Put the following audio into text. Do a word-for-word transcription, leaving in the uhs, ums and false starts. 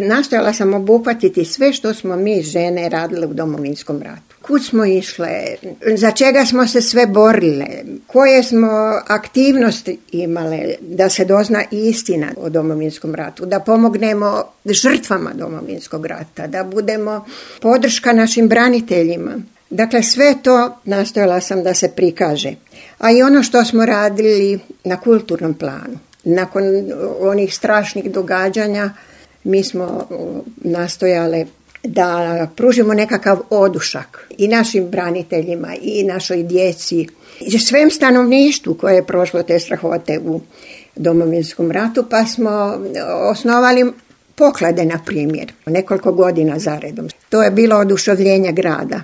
Nastojala sam obuhvatiti sve što smo mi žene radile u Domovinskom ratu. Kud smo išle, za čega smo se sve borile, koje smo aktivnosti imale da se dozna istina o Domovinskom ratu, da pomognemo žrtvama Domovinskog rata, da budemo podrška našim braniteljima. Dakle, sve to nastojala sam da se prikaže. A i ono što smo radili na kulturnom planu. Nakon onih strašnih događanja mi smo nastojale da pružimo nekakav odušak i našim braniteljima i našoj djeci i svem stanovništvu koje je prošlo te strahote u Domovinskom ratu, pa smo osnovali poklade, na primjer, nekoliko godina zaredom. To je bilo oduševljenje grada.